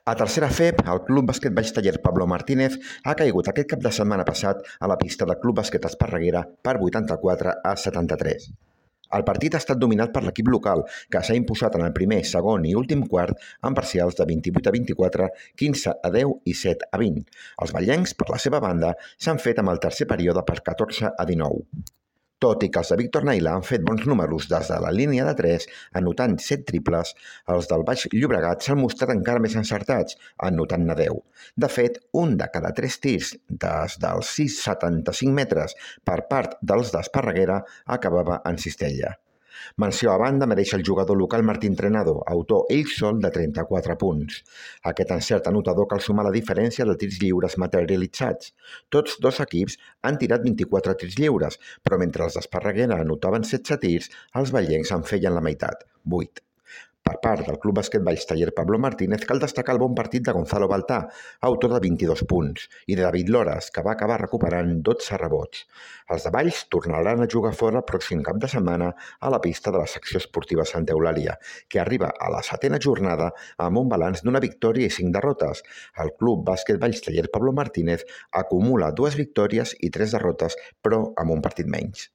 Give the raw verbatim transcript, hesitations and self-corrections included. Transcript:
A tercera F E P, el Club Bàsquet Valls Taller Pablo Martínez ha caigut aquest cap de setmana passat a la pista del Club Bàsquet Esparreguera per vuitanta-quatre a setanta-tres. El partit ha estat dominat per l'equip local, que s'ha imposat en el primer, segon i últim quart amb parcials de vint-i-vuit a vint-i-quatre, quinze a deu i set a vint. Els vallencs, per la seva banda, s'han fet amb el tercer període per catorze a dinou. Tot i que els de Víctor Naila han fet bons números des de la línia de tres, anotant set triples, els del Baix Llobregat s'han mostrat encara més encertats, anotant-ne deu. De fet, un de cada tres tirs des dels sis coma setanta-cinc metres per part dels d'Esparreguera acabava en cistella. Menció a banda mereix el jugador local Martín Trenado, autor ell sol de trenta-quatre punts. Aquest encert anotador cal sumar la diferència de tirs lliures materialitzats. Tots dos equips han tirat vint-i-quatre tirs lliures, però mentre els d'Esparreguera anotaven setze tirs, els vallencs en feien la meitat, vuit. Per part del Club Bàsquet Valls Taller Pablo Martínez cal destacar el bon partit de Gonzalo Baltà, autor de vint-i-dos punts, i de David Loras, que va acabar recuperant dotze rebots. Els de Valls tornaran a jugar fora el pròxim cap de setmana a la pista de la secció esportiva Santa Eulàlia, que arriba a la setena jornada amb un balanç d'una victòria i cinc derrotes. El Club Bàsquet Valls Taller Pablo Martínez acumula dues victòries i tres derrotes, però amb un partit menys.